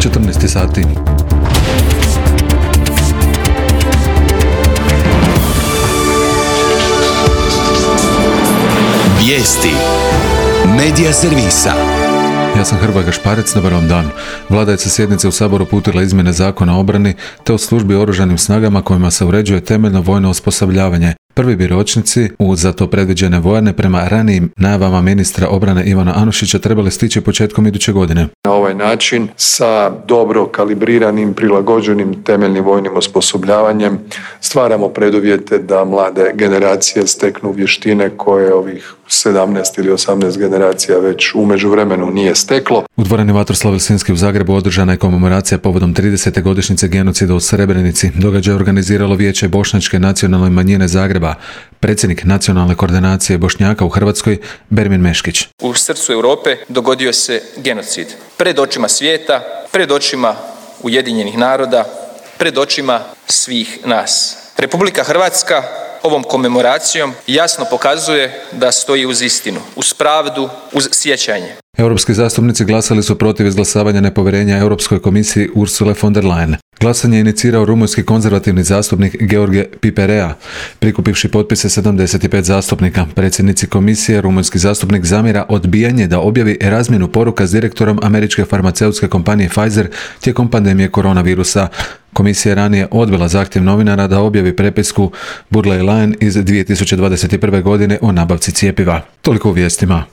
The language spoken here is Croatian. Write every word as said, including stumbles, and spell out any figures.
četrnaest sati. Vijesti Medija servisa. Ja sam Hrvoje Gašparec, dobar vam dan. Vlada je sa sjednice u Saboru uputila izmjene Zakona o obrani te o službi u oružanim snagama kojima se uređuje temeljno vojno osposobljavanje. Prvi bi ročnici u za to predviđene vojarne prema ranijim najavama ministra obrane Ivana Anušića trebali stići početkom iduće godine. Na ovaj način sa dobro kalibriranim, prilagođenim temeljnim vojnim osposobljavanjem stvaramo preduvjete da mlade generacije steknu vještine koje ovih sedamnaest ili osamnaest generacija već u međuvremenu nije steklo. U dvorani Vatroslav Lisinski u Zagrebu održana je komemoracija povodom tridesete godišnjice genocida u Srebrenici. Događaj je organiziralo Vijeće Bošnjačke nacionalne manjine Zagreba. Predsjednik nacionalne koordinacije Bošnjaka u Hrvatskoj, Bermin Meškić. U srcu Europe dogodio se genocid. Pred očima svijeta, pred očima Ujedinjenih naroda, pred očima svih nas. Republika Hrvatska ovom komemoracijom jasno pokazuje da stoji uz istinu, uz pravdu, uz sjećanje. Europski zastupnici glasali su protiv izglasavanja nepovjerenja Europskoj komisiji Ursule von der Leyen. Glasanje je inicirao rumunjski konzervativni zastupnik George Piperea, prikupivši potpise sedamdeset pet zastupnika. Predsjednici komisije, rumunjski zastupnik zamjera odbijanje da objavi razmjenu poruka s direktorom američke farmaceutske kompanije Pfizer tijekom pandemije koronavirusa. Komisija je ranije odbila zahtjev novinara da objavi prepisku Burley Line iz dvije tisuće dvadeset prve godine o nabavci cjepiva. Toliko u vijestima.